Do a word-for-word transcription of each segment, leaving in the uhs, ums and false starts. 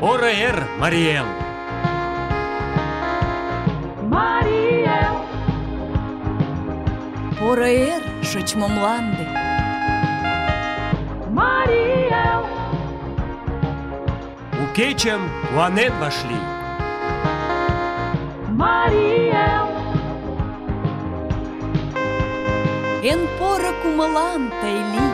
Поро эр, Марий Эл! Марий Эл! Поро эр, шочмо мланде! Марий Эл! У кечым куанен вашлий! Марий Эл! Эн поро кумылан тый лий!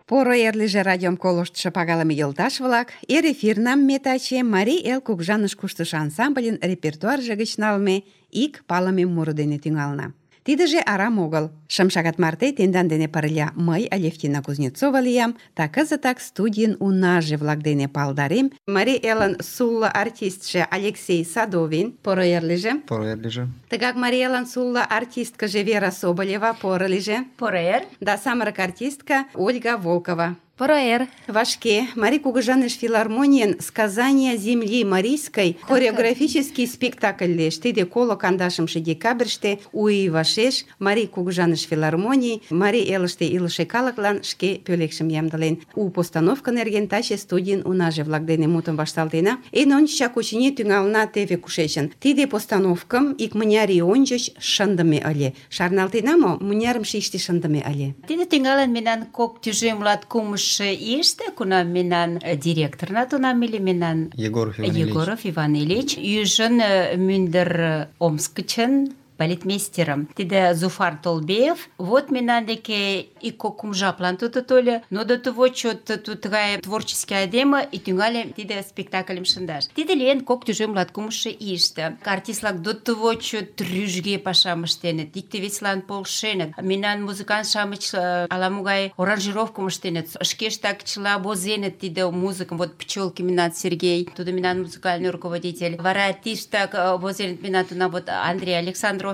Поро эрлиже радиом колыштшо пагалыме йолташ-влак, эр эфирнам ме таче Марий Эл кугыжаныш куштышо ансамбльын репертуарже гыч налме ик палыме муро дене тӱҥална. Тидыже арам огыл. Шым шагат марте тендан дене пырля мый, Алевтина Кузнецова, лиям, та кызытак студийын унаже-влак дене палдарем. Марий Элын сулло артистше Алексей Садовин, поро эрлиже. Поро эрлиже. Тыгак Марий Элын сулло артисткыже Вера Соболева, поро лиже. Поро эр! Да самырык артистка Ольга Волкова. Поро эр! Вашке Марий кугыжаныш филармонийын «Сказания земли марийской» хореографический спектакль лиеш. Тиде коло кандашымше декабрьыште у ий вашеш Марий кугыжаныш филармоний Марий Элыште илыше калыклан шке пӧлекшым ямдылен. У постановка нерген таче студийын унаже-влак дене мутым вашталтена. Эн ончычак очыни тӱҥална теве кушечын. Тиде постановкым икмыняр ий ончыч шындыме ыле. Шарналтена мо, мынярым шийыште шындыме ыле? Тиде тӱҥалын мемнан кок тӱжем латкумыш ийыште, кунам мемнан директорна тунам ыле, мемнан Егоров Иван Ильич. Егоров Иван Ильич, ӱжын мӱндыр Омск гычын балетмейстерым. Тиде Зуфар Толбеев. Вот мемнан деке ик кок-кум жаплан тудо тольо, но до того чот тыгай творческий айдеме и тӱҥале тиде спектакльым шындаш. Тиде лийын кок тӱжем латкумшо ийыште. Артист-влак до того чот рӱжге пашам ыштеныт, икте-весылан полшеныт. Мемнан музыкант-шамыч ала-могай аранжировкым ыштеныт, шкештак чыла возеныт тиде музыкым. Вот Пчелки мемнан Сергей, тудо мемнан музыкальный руководитель. Вара тиштак возеныт мемнан тунам вот Андрей Александров,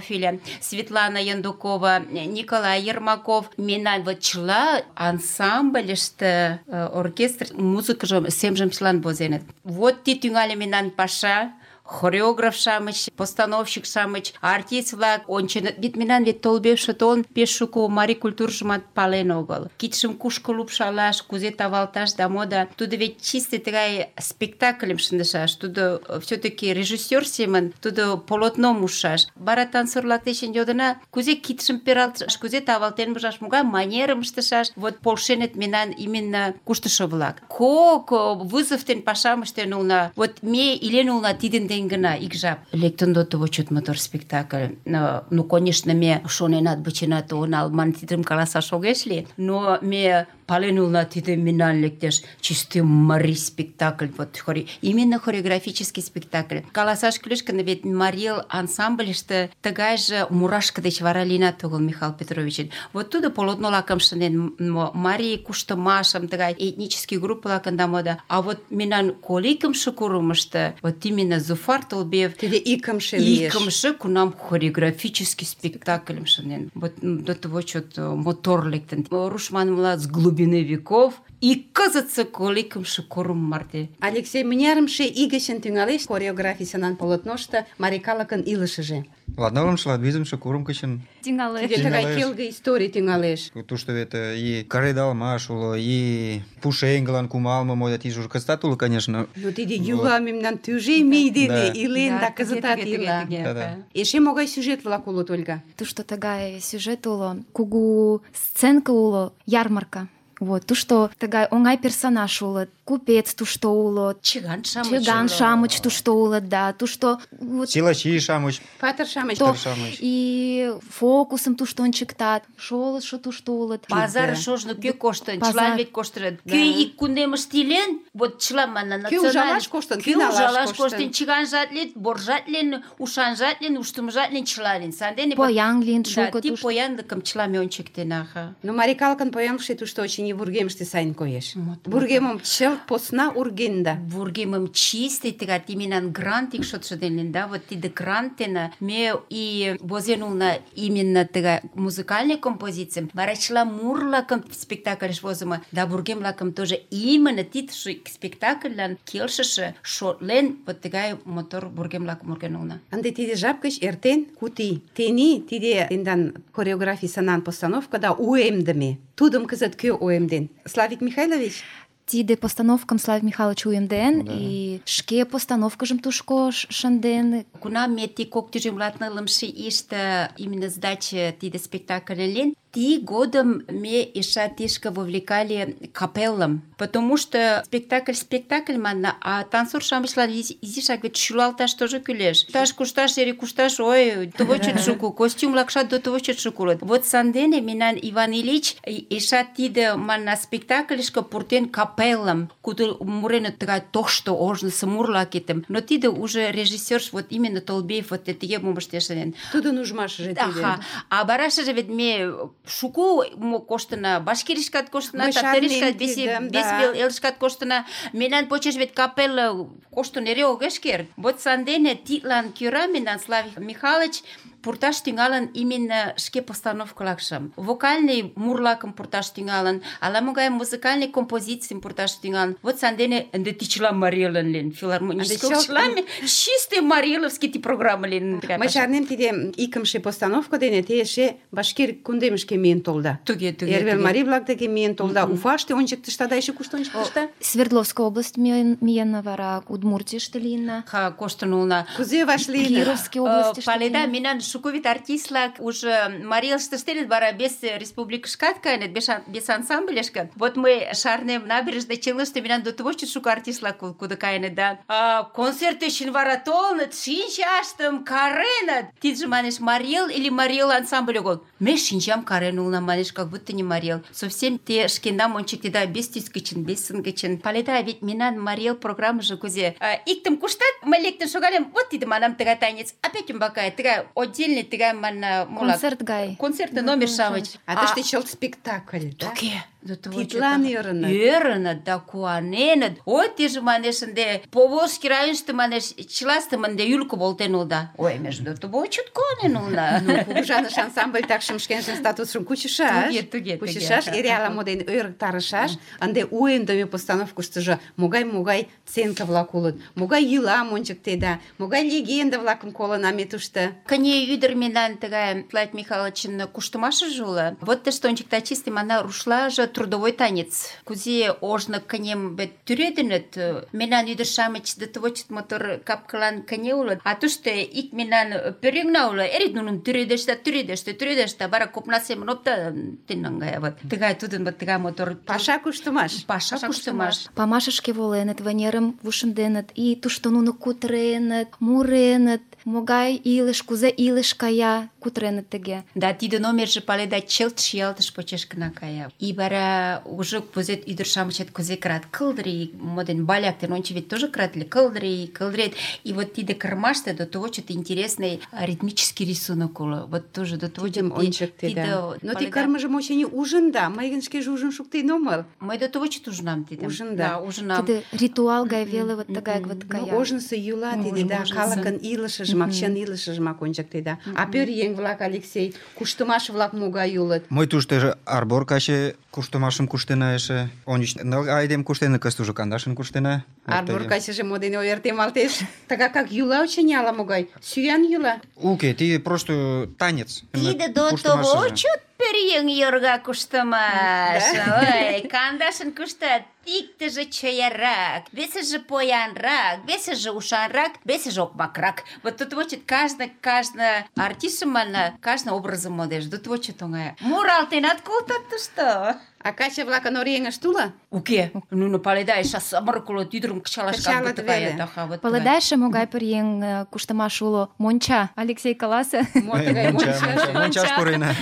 Светлана Яндукова, Николай Ермаков. Мемнан вот чыла ансамбльыште оркестр музыкыжым семжым чылан возеныт. Вот ти тӱҥале мемнан паша. Хореограф-шамыч, постановщик-шамыч, артист-влак онченыт. Вет мемнан вет Толбеевше толын пеш шуко марий культуржымат пален огыл. Кидшым кушко лупшалаш, кузе тавалташ да мода. Тудо вет чисте тыгай спектакльым шындышаш. Тудо все-таки режиссер семын, тудо полотном ушаш. Вара танцор-влак дечын йодына, кузе кидшым пералтышаш, кузе тавалтен мужаш, могай манерым ыштышаш. Вот полшеныт мемнан именно куштышо-влак. Кок вызов ден пашам ыштен улына. Вот ме илен улына тидын ден гына ик жап. Лектын до того чот мотор спектакль. Но, ну, конечно, ме шоненат, быченат онал, ман тидым каласаш огеш ли, но ме пален улына тиде мемнан лектеш чисте марий спектакль. Вот, хори... Именно хореографический спектакль. Каласаш кӱлеш гын, вет Марий Эл ансамбльыште тыгайже мурашка деч вара лийынат огыл Михаил Петровичын. Вот тудо полотно-лакым шынден, марий куштымашым, тыгай этнический группа-лакын да мода. А вот мемнан коликымше курымышто, вот именно Зуфар Толбеев Тиде икымше лиеш. Икымше кунам хореографический спектакльым шынден. Вот до того чот мотор лектын. Руш манмыла, с глубины веков И кызытсе коло икымше курым марте. Алексей, мынярымше ий гычын тӱҥалеш хореографий сынан полотношто марий калыкын илышыже? Ладнылымше, ладвизымше курым гычын. Тӱҥалеш. Тиде тыгай Тӱҥалеш. келге историй тӱҥалеш. Тушто вет э, и каредалмаш уло, и пушеҥгылан кумалме мо, да тиде уже кызытат уло, конечно. Но тиде йӱла мемнан тӱжем ий дене Да. илен да тыге, кызытат тыге, тыге, ила. тыге. Да-да. Эше могай сюжет-влак улыт, Ольга? Тушто тыгай сюжет уло, кугу сценка уло, ярмарка. Вот, тушто тыгай оҥай персонаж улыт, купец тушто уло, Чыган-шамыч. чыган-шамыч тушто улыт, да, тушто вот Силачи-шамыч, Патыр-шамыч. то патыр-шамыч. и фокусым тушто ончыктат, шолыштшо тушто улыт. Пазар шожно кӧ коштын, Пазар. чылан вет коштыныт. Да. Кӧ ик кундемыште илен, вот чыла манна Кӧ ужалаш коштын, Кӧ кӧ налаш ужалаш коштын. коштын, чыганжат лийын, боржат лийын, ушанжат лийын, уштымыжат лийын, чыла лийын. Сандене Поян лийын да, шуко ти тушто. поянлыкым чыла ме ончыктена. ха. Но марий калыкын поянлыкше тушто очыни вургемыште сайын коеш. Вургемым чылт посна ургенда. Вургемым чисти тыгат именно грант ик шотшо дене, да, вот тиде грантена ме и возен улна именно тыгай музыкальный композицийым, вара чыла мур-влакым спектакльыш возымо, да вургем-влакым тоже именно тидше спектакльлан келшыше шотлен вот тыгай мотор вургем-влакым урген улна. Ынде тиде жап гыч эртен куд ий. Тений тиде тендан хореографий санан постановкада уэмдыме. Тудым кызыт кӧ уэмден? Славик Михайлович? Тиде постановкам Славик Михайлович уэмден, Да. и шке постановкыжым тушко ш- шынден. Кунам ме ти кок тӱжем латнылымше ийыште именно сдача тиде спектакль лен, ти годым ме эше тишке вовлекали капеллам, потому что спектакль спектакль манна, а танцор-шамычлан изи- изишак вет шӱлалташ тоже кӱлеш. Кушташ, кушташ, эре кушташ, ой, того чот шуко, костюм-влакшат до того чот шуко улыт. Вот сандене мемнан Иван Ильич эше тиде манна спектакльышке пуртен капеллам, кудо муреныт тыгай тошто ожнысо мур-влакетым. Но тиде уже режиссер вот именно Толбеев вот тыге мом ыштеш ыле. Тудын ужмашыже тиде. Аха, а барашыже вет ме шуко мо коштына, Башкиришкат коштына, Мый Татаришкат, шарнем тидым, вес да. вел элышкат коштына. Мемнан почеш вет капелла коштын эре огеш керт. Вот сандене тидлан кӧра мемнан Славик Михайлович пурташ тӱҥалын именно шке постановкылакшым. Вокальный мурлакым пурташ тӱҥалын, ала-могай музыкальный композицийым пурташ тӱҥалын. Вот сандене ынде ти чыла марийылан лийын, филармонический Ынде чылт- чыла ме чисте марийыловский ти программа лийын. Мый шарнем, тиде икымше постановка дене те эше Башкир кундемышке миен толда. Туге, туге, Эрвел туге. марий-влак деке миен толда. Уфаште ончыктышта да эше кушто ончыктышта? Свердловская область миен, миен вара Удмуртийыште лийна. Ха, коштын улна. Кузе вашлийна? Кировской области. Паледа, минан шуковит артистлак уже Марилыште штелит бара без республикышкат кайнет, без, ан- без ансамблешка. Вот мы шарнем набережной челыште минан до того, что шуко артистлак куда кайнет, да. А, концерт еще вара толнет, шинчаштым каренет. Ты же манешь Марил или Марил ансамбль огол. Ме шинчам каренулна, манешь, как будто не Марил. Совсем те шкендам ончик да без тискичин, без сынгичин. Паледа, ведь минан Марил программа же кузе. А, иктым куштат, мы лектем шугалем, вот ты манам тыгай танец. Опять он бакай, тыгай отдельный, тыгай ман мулак. Концерт гай. Концертный номер шамыч. А тыште чылт спектакль, да? Туге. До того, Тидлан что-то- ӧрыныт. Ӧрыныт да куаненыт. Ой, ты же манеш ынде Поволжский районышто манеш чылаштым ынде ӱлкӧ волтен улыда. Ой, между тобой чот куанен улына. Ну, кугыжаныш ансамбль такшым шкенжын статусшым кучышаш. Туге, туге, туге. Кучышаш, эре ала-мо дене ӧрыктарышаш. Ынде уэмдыме постановкыштыжо могай-могай сценка-влак улыт, могай йӱлам ончыктеда, могай легенда-влакым колына ме тушто. Кыне ӱдыр мемнан тыгай Славик Михайловичын куштымашыже уло. Вот тыште ончыкта чисте мана рушлаже трудовой танец. Кузе ожно кынем вет тӱредыныт. Мемнан ӱдыр-шамыч до того чот мотор капкылан кыне улыт. А тушто ик мемнан пӧръеҥна уло. Эре нуным тӱредешта, тӱредешта, тӱредешта. Вара копна семын опта тен наҥгая. Вот тыгай тудын вот тыгай мотор Паша куштымаш. паша куштымаш. Памашышке воленыт, вынерым вушынденыт, и тушто нуно кутыреныт, муреныт, могай илыш, кузе илыш кая, кутыреныт тыге. Да, тиде номерже паледа чылт шиялтыш почеш гына кая. И вара уже кузе ӱдыр-шамычет кузе кырат кылдыри, моден баляк ден ончо вет тоже кырат ыле, кылдыри, кылдырет. И вот тиде кырмаште до того что-то интересный ритмический рисунок уло. Вот тоже до того Тидым что ончыктеда. Но ти кырмыжым очыни ужында, мый гын шкеже ужын шуктен омыл. Мый до того что ужынам тидым. Ужында. Да, ужынам. Тиде ритуал гай веле вот тыгай вот Ну, кая. ожнысо йӱла Ну, тиде, да, ожнысо. калыкын илышыжымак, чын илышыжымак ончыктеда. А пӧръеҥ еҥ-влак, Алексей? Куштымаш-влак могай улыт? Мый туштыжо арбор каче куштымашым куштена эше. Ончыч ныл айдем куштена, кызыт уже кандашын куштена. Арбор качыже мо дене ойыртемалтеш? Тага как йӱла, очыни, ала-могай? Сӱан йӱла? Уке, тиде просто танец. Тиде до того чот пӧръеҥ йорга куштымаш. Ой, кандашын куштат. Иктыже чоярак, весыже поянрак, весыже ушанрак, весыже окмакрак. Вот тут вот каждый, каждый артист мана, каждый образом модеш. Тут вот что тонгая. Муралтенат колтат тушто. А каче-влакын оръеҥышт уло? Уке, нуно паледа, эше самырык улыт, ӱдырым кычалашкат Кычалыт каят. веле. Аха, вот Паледа эше могай пӧръеҥ куштымаш уло? Монча. Алексей, каласе. Мо тыгай монча? Мончаш пурена.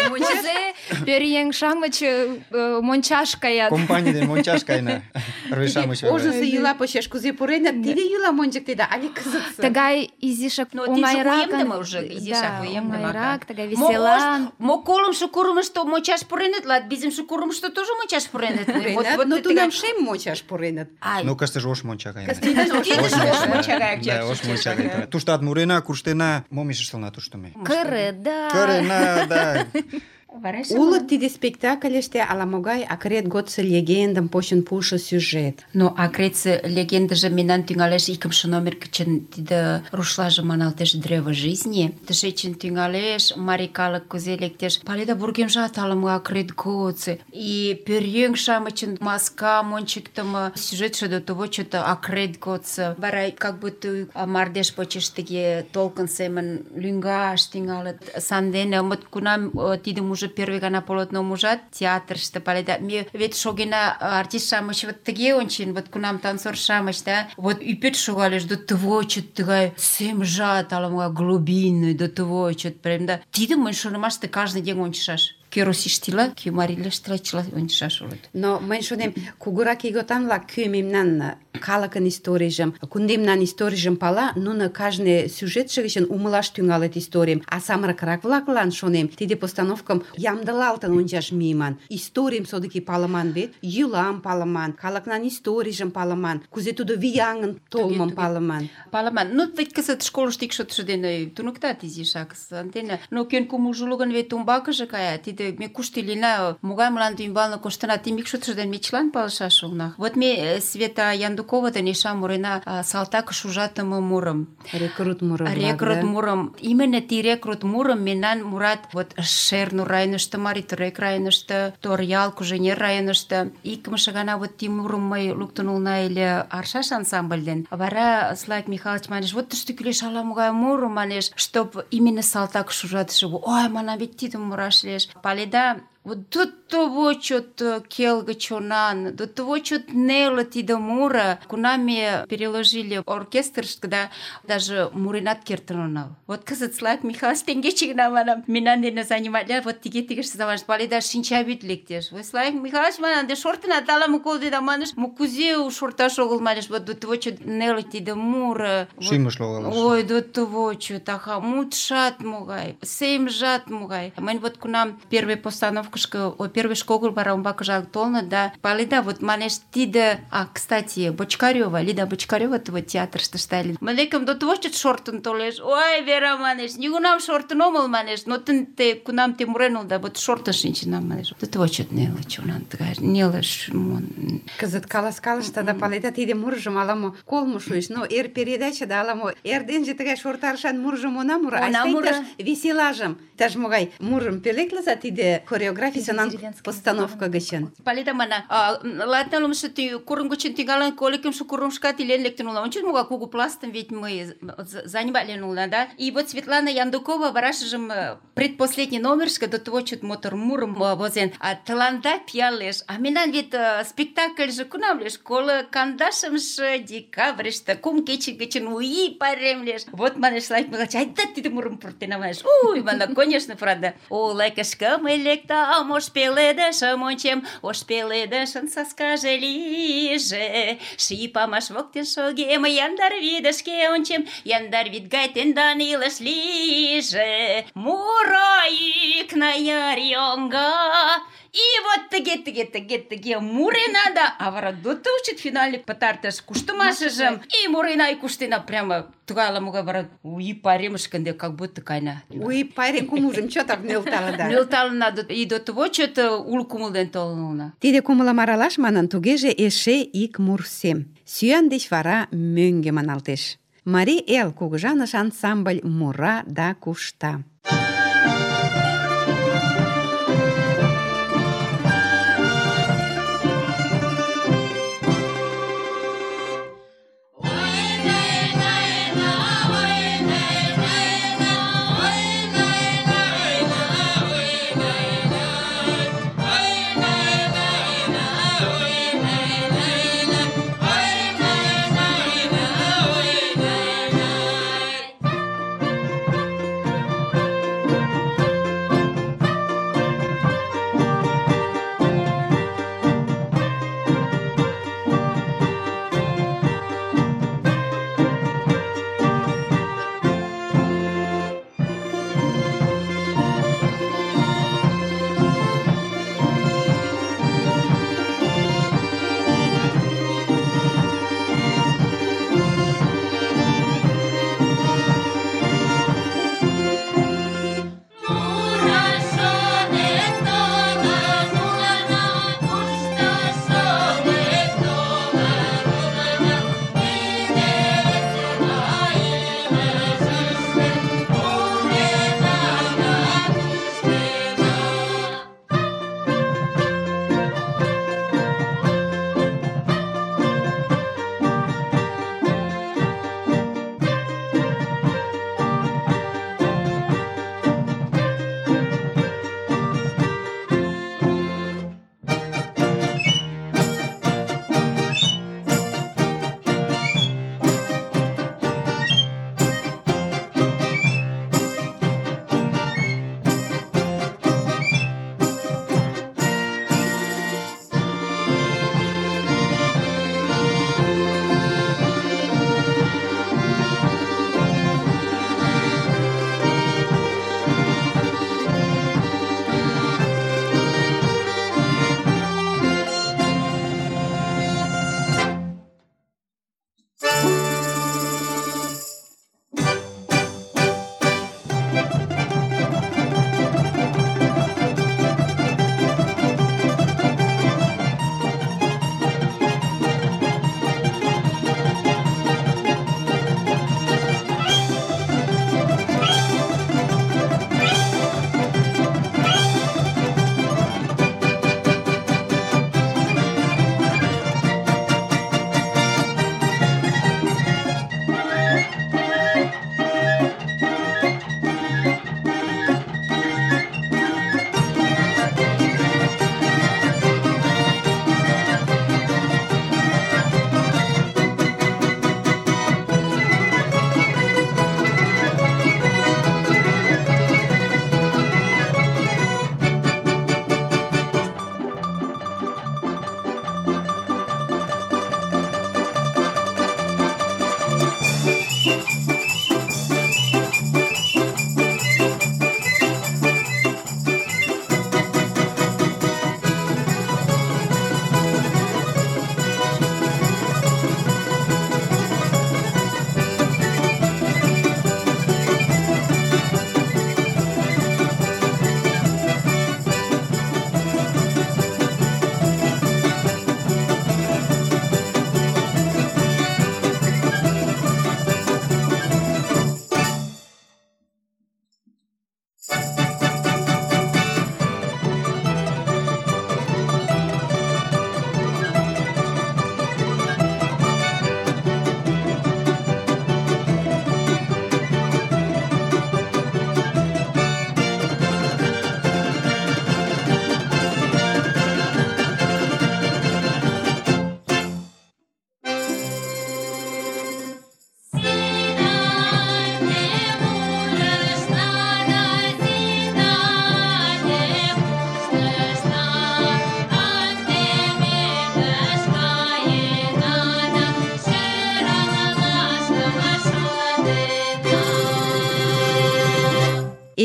Кузе пӧръеҥ-шамыч э, мончаш каят. Компаний ден мончаш каена. Рве-шамыч. Ожнысо йӱла почеш кузе пуреныт, тиде йӱлам ончыктеда, але кызытсе? Тыгай изишак Но тиде оҥайракын. уемдыме уже, изишак Да, уемдыме, оҥайрак, ага. тыгай Мо веселан. ош- Мо колымшо курымышто мончаш пуреныт, лат визымше курымышто тоже мончаш пуреныт. Пуреныт, но тунам шем мончаш пуреныт. Ай, Ну, кастыже ош монча каена. тидыже ош монча гаяк Да, чер- ош чер- монча чер- каена. Туштат мурена, куштена, мом эше ыштылна тушто ме? Кырыда. Кырена, да. Вара эше Улыт тиде спектакльыште ала-могай акрет годсо легендым почын пуышо сюжет. Но акретсе легендыже мемнан тӱҥалеш икымше номер гычын тиде рушлаже маналтеш «Древо жизни». Тышечын тӱҥалеш, марий калык кузе лектеш. Паледа, вургемжат ала-мо акрет годсо. И пӧръеҥ-шамычын маскам ончыктымо сюжетше до того чото акрет годсо. Вара как будто мардеж почеш тыге толкын семын лӱҥгаш тӱҥалыт. Сандене мыт кунам э, тидым уже первый гана полотном ужат театрыште, паледа. Ме вет шогена артист-шамыч вот тыге ончен, вот кунам танцор-шамыч, да, вот ӱпет шогалеш, до того чот тыгай семжат, ала-могай глубинный, до того чот прям, да. Тидым мыйын шонымаште каждый день ончышаш. Кӧ русиштила, кӧ марийлештила, чыла ончышаш улыт. Но мый шонем, кугурак ийготан-влак кӧ мемнан калыкын историйжым, кундемнан историйжым пала, нуно кажне сюжетше гычын умылаш тӱҥалыт историйым. А самырыкрак-влаклан, шонем, тиде постановкым ямдылалтын ончаш мийыман. Историйым содыки палыман вет, йӱлам палыман, калыкнан историйжым палыман, кузе тудо вияҥын толмым туге. палыман. Паламан, ну ведь кызыт школышто ик шотшо дене туныктат изишак сандене. Но кӧн кумылжо уло гын, вет умбакыже кая. Тиде ме кушто илена, могай мланде ӱмбалне коштына, тим ик шотшо дене ме чылан палышаш улына. Вот ме Света Яндукова ден Иша мурена а, салтакыш ужатыме мурым. Рекрут мурым-влак, Рекрут да? мурым. Именно ти рекрут мурым мемнан мурат вот Шернур районышто, Марий-Торек районышто, Торъял, Куженер районышто. Икымше гана вот ти мурым мый луктын улына ыле Аршаш ансамбль ден. Вара Славик Михайлович манеш, вот тыште кӱлеш ала-могай муро, манеш, чтоб именно салтакыш ужатыше. Ой, манам, вет тидым мураш лиеш. Паледа, вот до того чот келге чонан, до того чот нело тиде мура, кунам ме переложили оркестр, когда даже муренат кертын онал. Вот кызыт Славик Михайлович теҥгече гына манам, мемнан дене заниматля, вот тыге-тыгеште заваш, паледа, шинчавӱд лектеш. Ой, Славик Михайлович, манам, де шортынат ала-мо колдеда, манеш, мо кузе шорташ огыл, манеш, вот до того чот нело тиде мура. Шӱмыш логалеш. Ой, до того чот, аха, мутшат могай, семжат могай. Мынь вот кунам первый постановка о первый школ вара умбакыжак толыныт, да, паледа, вот манеш тиде, а, кстати, Бочкарева, Лида Бочкарева вот театрыште ыле. Мынекым до того чот шортын толеш. Ой, Вера, манеш, нигунам шортын омыл, манеш, но тын те кунам те мурен улыда, вот шортын шинчынам, манеш. До того чот неле чонан тыгай, неле шмон. Кызыт каласкалышта да паледа, тиде мурыжым ала-мо колмо шуэш, но эр передачада ала-мо эрденже тыгай шортарышан мурыжым она мура, Она айста мура. иктаж веселажым, иктаж могай мурым пӧлеклыза тиде хореографийысе постановка гычын. Паледа, мана, латнылымше курым гычын тӱҥалын, коликымше курымышкат илен лектын улына. Ончет, могай кугу пластым ведь мы заниматлен улына, да? И вот Светлана Яндукова варашыжым предпоследний номерышке до того чот мотор мурым возен. А тыланда пиалеш. А мемнан вет спектакльже кунам леш? Коло кандашымше декабрьыште кум кече гычын уи пайрем леш. Вот, манеш, Славик Михайлович, айда тиде мурым пуртена, манеш. Уй, мана, конечно, правда. Олай кышкым электам, ош пеледышым ончем, ош пеледышын саскаже лийже. Ший памаш воктен шогем, яндар вӱдышке ончем, яндар вӱд гай тендан илыш лийже. Муро йӱк нар йоҥга, И вот тыге, тыге, тыге, тыге мурена да, а вара доты учит финале пытартыш куштымашыжым. И мурена, и куштена прямо тугай ала-могай вара уи паремышкынде, как будто кайна. Уи пайрем кумылжым чотак нӧлталыда. Нӧлталына, и до того чот уло кумыл ден толын улына. Тиде кумылым аралаш манын, тугеже эше ик мур сем. Сӱан деч вара мӧҥгӧ маналтеш. Марий эл кугыжаныш ансамбль мура да кушта.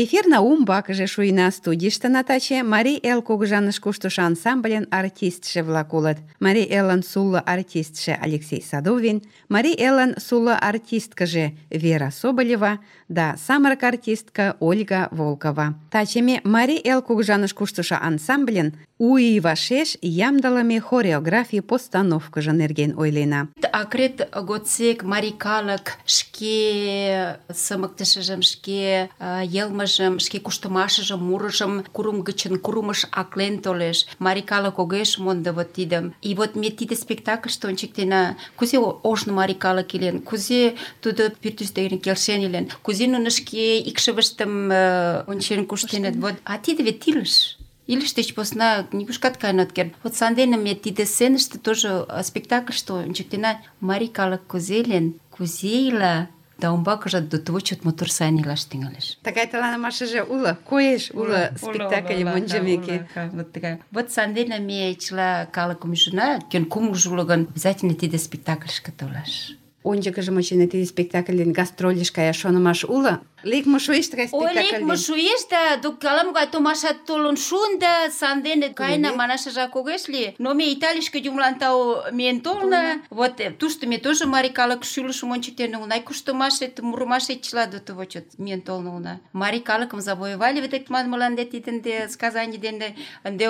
Эфирна умбакыже шуйна. Студийыштына таче Марий Эл кугыжаныш куштышо ансамбльын артистше-влак улыт. Марий Элын сулло артистше Алексей Садовин, Марий Элын сулло артисткыже Вера Соболева да самырык артистка Ольга Волкова. Таче ме Марий Эл кугыжаныш куштышо ансамбльын у ий вашеш ямдылыме хореографий постановкыжо нерген ойлена. Акрет годсек марий калык шке сымыктышыжым, шке э, йылмыжым, шке куштымашыжым, мурыжым курым гычын курымыш аклен толеш. Марий калык огеш мондо вот тидым. И вот ме тиде спектакльыште ончыктена, кузе ожно марий калык илен, кузе тудо пӱртӱс дене келшен илен, кузе нуно шке икшывыштым э, ончен куштеныт. Вот, а тиде вет илыш. Илыш деч посна нигушкат каен от керт. Вот сандене ме тиде сценыште тоже спектакльыште ончыктена марий калык кузе илен, кузе ила, да умбакыже до того чот мотор сайын илаш тӱҥалеш. Тыгай таланымашыже уло, коеш уло спектакльым ончымеке. Вот тыгай. Вот сандене ме чыла калыкым ӱжына, кӧн кумылжо уло гын, обязательно тиде спектакльышке толаш. Ончыкыжым очыни тиде спектакльден гастрольыш каяш шонымаш уло. Лекме шуэш тыгай Ой, спектакльден. лекме шуэш да, док ала-могай томашат толын шуын да, сандене каена манашыжак огеш лий. Но ме Италийышке юмлан тау миен толна. Вот тушто ме тоже марий калык шӱлышым ончыктен улына, куштымашет, мурымашет чыла до того чот миен толын улына. Марий калыкым завоевали вет манмылан де тидынде сказаний дене ынде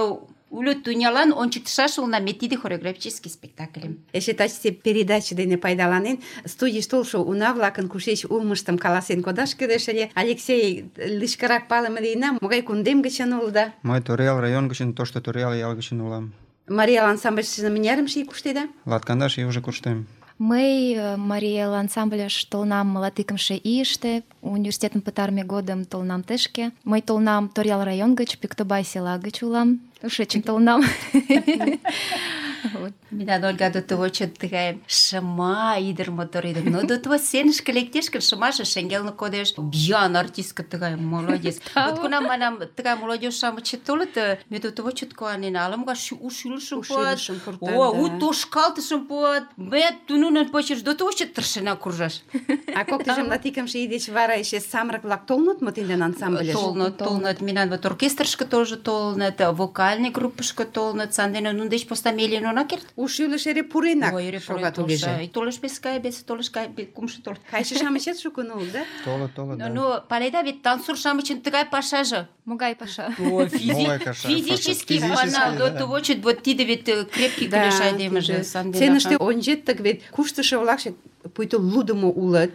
уло тӱнялан ончыктышаш улына ме тиде хореографический спектакльым. Эше тачысе передаче дене пайдаланен, студийыш толшо уна-влакын кушеч улмыштым каласен кодаш кӱлеш ыле. Алексей, лишкырак палыме лийына, могай кундем гычын улыда? Мый Торъял район гычын, Тошто Торъял ял гычын улам. Марий Эл ансамбльыште мынярым ий куштеда? Латкандаш ий уже куштем. Мый Марий Эл ансамбльыш толынам латикымше ийыште, университетым пытарыме годым толынам тышке. Мый толынам Торъял район гыч, Пӱктыбай села гыч улам. Тушечын толынам. Мина Ольга до того чот тыгай шыма ӱдыр мотор ӱдыр. Но до того сценышке лектеш гын, шымаже шеҥгелне кодеш. Биян артистка тыгай, молодец. Вот кунам манам тыгай молодежь-шамычет толыт, ме до того чот куанена. Ала-могай у шӱлышым пуат, о, у тошкалтышым пуат. Ме нунын почеш до того чот тыршена куржаш. А коктыжым латикымше ий деч вара эше самырык-влак толыныт мо тидын ансамбльыш? Толнат, толнат. Минан вот оркестрышке тоже толнат, вокальный группышке толнат. Сандене нун деч посна ме илен она керт. У шӱлыш эре пуренак Ой, эре пурен шога тугеже. толша. И толеш без кай, без толеш кай, без кумшо толеш. Кайше-шамычет шукын улыт, да? Толыт, толыт, да. Ну, паледа вет танцор-шамычын тыгай пашаже. Могай паша. Ой, физи- Могай каша, физически физически, пана, да. до того чот вот тиде вет э, крепкий кулеш айдемыже. Сценыште ончеттык вет куштышо-влакше пуйто лудымо улыт.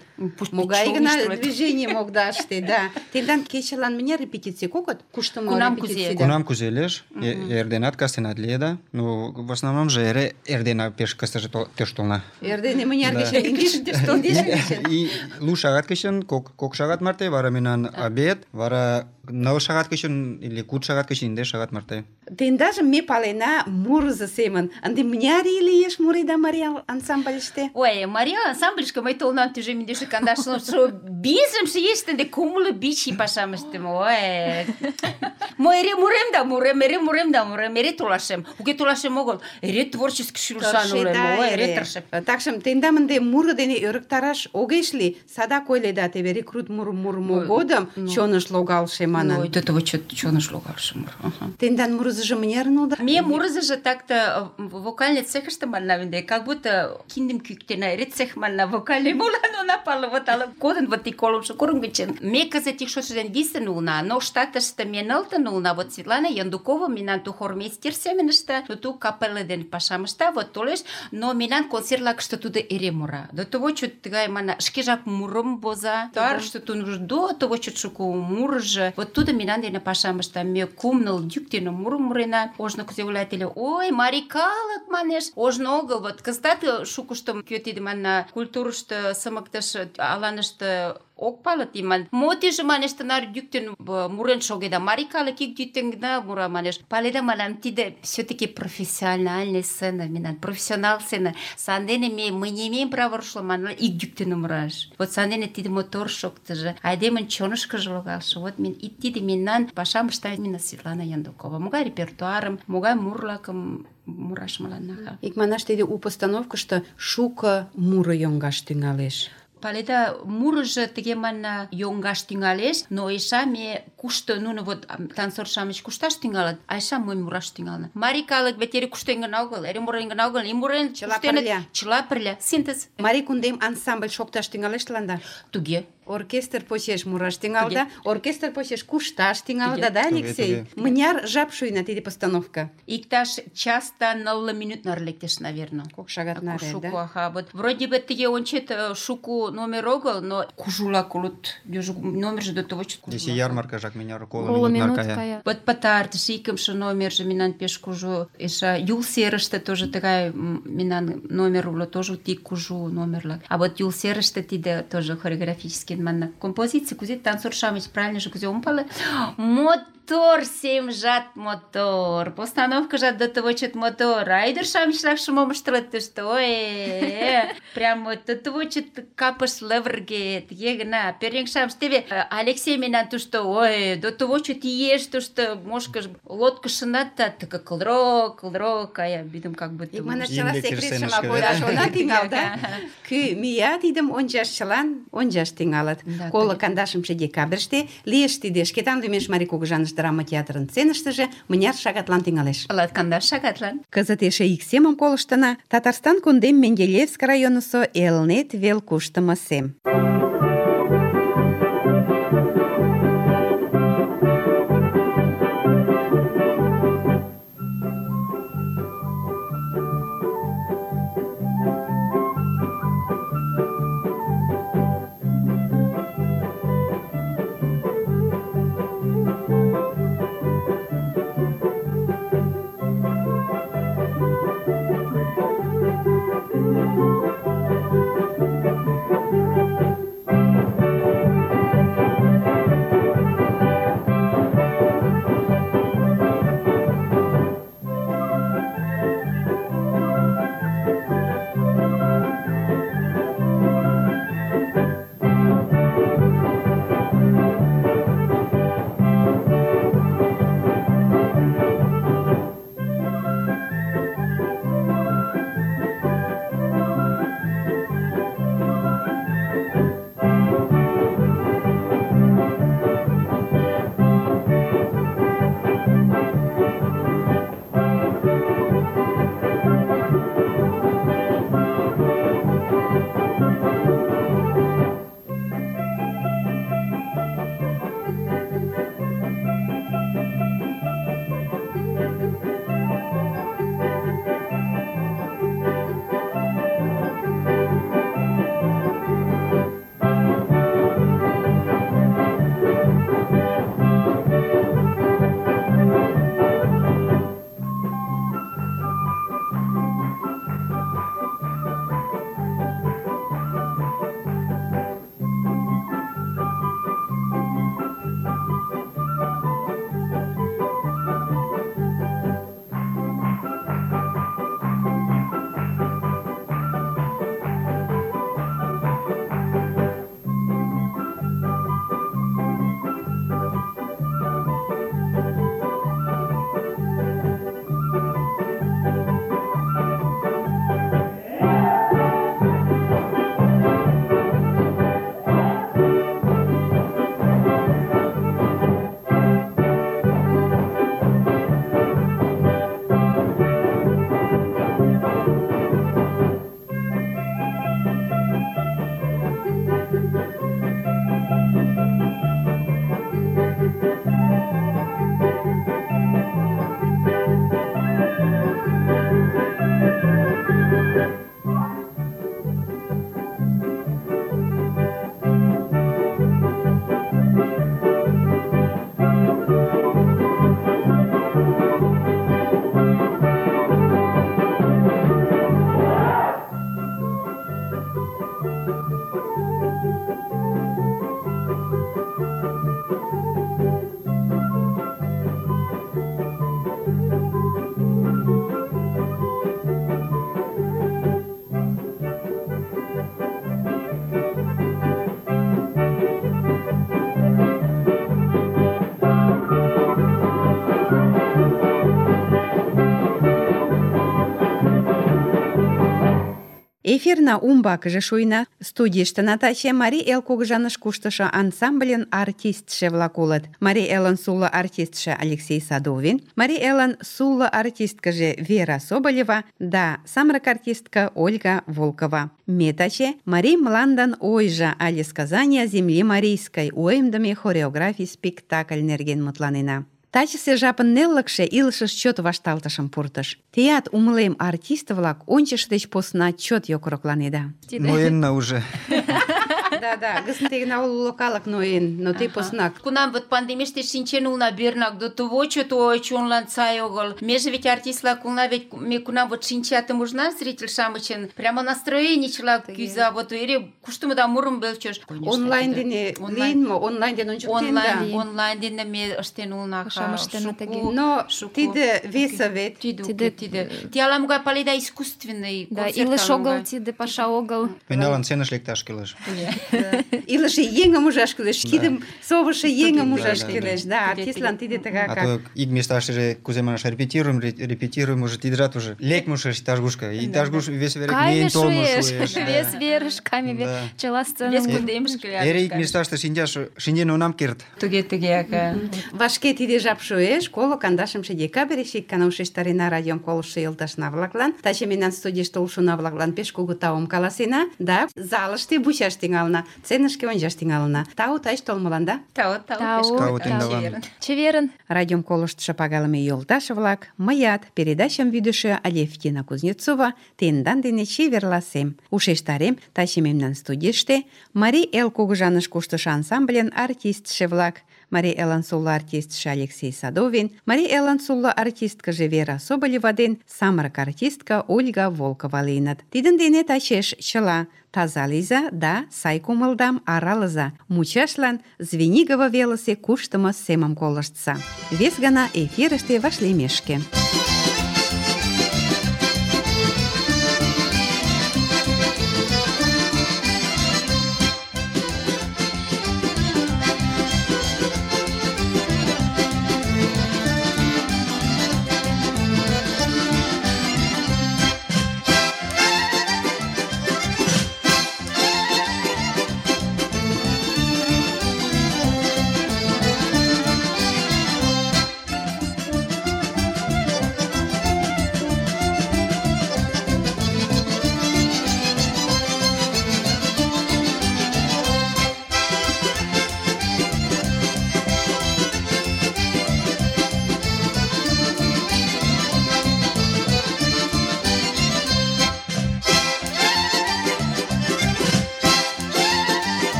Могай гына движение могда ыште, да. Тендан кечылан мыняр репетиций кокыт? Куштымо Кунам репетиций, кузе? да. Кунам кузе лиеш, э- эрденат кастенат лиеда. Ну, в основном же эре эрдена пеш кастыже тол- теш толна. Эрдене мыняр Да. гычын, индеш тондеш гычын. И лу шагат гычын, кок, кок шагат марте, вара мемнан обед, вара ныл шагат гычын или куд шагат гычын индеш шагат марте. Тендажым ме палена мурызо семын. Ынде мыняр ий лиеш муреда Марий Эл ансамбльыште? Ой, Мария ансамбльышке мый толынам тӱжем индеше кандашлу, шо бизымше еште кумло бич ий пашам ыштем. Ой. Мый эре мурем да мурем, эре мурем да мурем, эре толашем. Уке толашем огыл, эре творческий шӱлышан улем. Ой, эре тыршем. Такшым тендам ынде муро дене ӧрыктараш огеш лий. Садак ойледа, теве рекрут мурым мурымо Ой, годым ну. чоныш логалше Ну, манын. до того чот чоныш логалше мур. Ага. Тендан мурызыжо мынярын улда? Ме мурызыжо так-то вокальный цехыште манна винде, как будто киндым кӱктена, эре цех манна вокальный молан она пала вот ала кодын вот и колымшо курым гычын. Ме кызыт ик шотшо дене висын улына, но штатыште ме нылтын улына, вот Светлана Яндукова мемнан ту хормейстер семын ышта, ту капелла дене пашам ышта, вот толеш, но мемнан концертлакыште тудо эре мура. До того чот тыгай манна шкежак мурым воза, туарыште тунуш до того чот шуко мурыжо. Вот тудо мемнан дене пашам ышта, ме кум-ныл йӱк дене мурым мурена. Ожно кузе ойлат ыле, ой, марий калык манеш, ожно огыл, вот кызытат шукыштым кӧ тиде манна культурышто сымыктыш аланыште ок пале тиман. Мо тиже манеш тынар йӱктен мурен шогеда, марий калык ик йӱктен гына мура манеш. Паледа манам, тиде все-таки профессиональная сцена, мемнан профессионал сцена. Сандене ме мы не имеем права рушло манна ик йӱктен мураш. Вот сандене тиде мотор шоктыжо, айдемын чонышкыжо логалше. Вот мен и тиде мемнан пашам ышта именно Светлана Яндукова. Могай репертуарым, могай мурлакым мураш мыланна. Икманаш тиде у постановкышто шуко муро йоҥгаш тӱҥалеш. паледа, мурыжо тыге манна йоҥгаш тӱҥалеш, но эше ме кушто нуно вот танцор-шамыч кушташ тӱҥалыт, а эше мый мураш тӱҥална. Марий калык вет эре куштен гына огыл, эре мурен гына огыл, и мурен Чыла куштеныт, пырля. чыла пырля. Синтез. Марий кундем ансамбль шокташ тӱҥалеш тыланда? Туге. Оркестр почеш мураш тӱҥалда, оркестр почеш кушташ тӱҥалда, Туге. да, Туге, Алексей? туге. Мыняр жап шуйна тиде постановка? Иктаж час да нылле минут наре лектеш, наверное. Кок шагат наре, Шуко, да? аха. Вот вроде бы тыге ончет, э, шуко номер огыл, но кужулак улыт. Южо номерже до того, что Десе ярмаркажак мыняр коло Коло минут минут наркая. кая. Вот пытартыш икымше номерже мемнан пеш кужу. Эше Юл серыште тоже тыгай м, мемнан номер уло, тоже тик кужу номерлак. А вот Юл серыште тиде тоже хореографический манна композиция, кузе танцор-шамыч правильно же кузе умпалы. Мотор семжат мотор. Постановка-жат до того чет мотор. А ӱдыр-шамычлак шумом ыштылыт тыште. Ой, прям вот до того чет капыш лывырге, тыге гына. Пӧръеҥ-шамыч теве э, Алексей мемнан тушто, ой, до того чет иеш тушто мошкыш лодкышынат тыка кылдырок, кылдырок, кая, бидым как будто... Икманаш Еҥ чыла дек секретшыла сценышке, кояш да. она тӱҥал, да? Кӱ мия тидым ончаш, чылан ончаш тӱҥалыт. Да, Коло тыге. кандашымше декабрьыште лиеш тиде Шкетан лӱмеш Марий кугыжаныш драма театрын сценыштыже мыняр шагатлан тӱҥалеш. Латкандаш шагатлан. Кызыт эше ик семым колыштына. Татарстан кундем Менделеевск районысо Элнет вел куштымо сем. Эфирна умбакыже шуйна. Студийыштына таче Марий Эл кугыжаныш куштышо ансамбльын артистше-влак улыт. Марий Элын сулло артистше Алексей Садовин, Марий Элын сулло артисткыже Вера Соболева да самырык артистка Ольга Волкова. Ме таче Марий мландан ойжо але сказания земли марийской уэмдыме хореографий спектакль нерген мутланена. Тачысе жапын неллыкше илышыш чот вашталтышым пуртыш. Теат, умылем, артист-влак ончыш деч посна чот йокрокланеда. Ноенна уже. Да-да, гысын тегна уло калык ноен, но тый поснак. Кунам вот пандемийыште шинчен улна бернак, до того чот ой чонлан сай огыл. Меже ведь артист-влак улна, ведь ме кунам вот шинчатым ужна зритель-шамычын, прямо настроенийчылак кӱза, вот эре куштымыда мурым белчеш. Онлайн дене лийын мо? Онлайн дене ончыктен да. Онлайн, онлайн дене ме ыштен улна. Но тиде веса вет. Тиде, тиде. Ти ала-могай паледа искусственный Да, концерт. илыш огыл, тиде паша огыл. Меналан сценыш лекташ кӱлеш. Илыше еҥым ужаш кӱлеш, кидым совышо еҥым ужаш да, да. кӱлеш. Да, артистлан тиде А тыгакак. то ик месташтыже, кузе манаш, репетируем, ре- репетируем, уже тидыжат уже лекме шуэш иктаж-кушко. Иктаж-куш вес вере Кайме миен толмо шуэш, шуэш. да. вес верыш, кайме ве- Да. чыла сцена. Вес кундемышке Эре ик месташте шинчаш шинчен онам керт. Туге, туге, ага. Вашке тиде жап шуэш, коло кандашымше декабрьыш ик гана ушештарена радиом колыштшо йолташна-влаклан. Таче мемнан студийыште улшо-влаклан пеш кугу таум каласена да залыште вучаш тӱҥалына, сценышке ончаш тӱҥалына. Тау тач толмыланда. Тау, тау, Тау, пеш тау, кугу тау. чеверын. Чеверын. Радиом колыштшо пагалыме йолташ-влак, мыят, передачам вӱдышӧ Алевтина Кузнецова, тендан дене чеверласем. Ушештарем, таче мемнан студийыште Марий Эл кугыжаныш куштышо ансамбльын артистше-влак, Марий Элын сулло артистше Алексей Садовин, Марий Элын сулло артисткыже Вера Соболева ден самырык артистка Ольга Волкова лийыныт. Тидын дене тачеш чыла. Таза лийза да сай кумылдам аралыза. Мучашлан Звенигово велысе куштымо семым колыштса. Вес гана эфирыште вашлиймешке.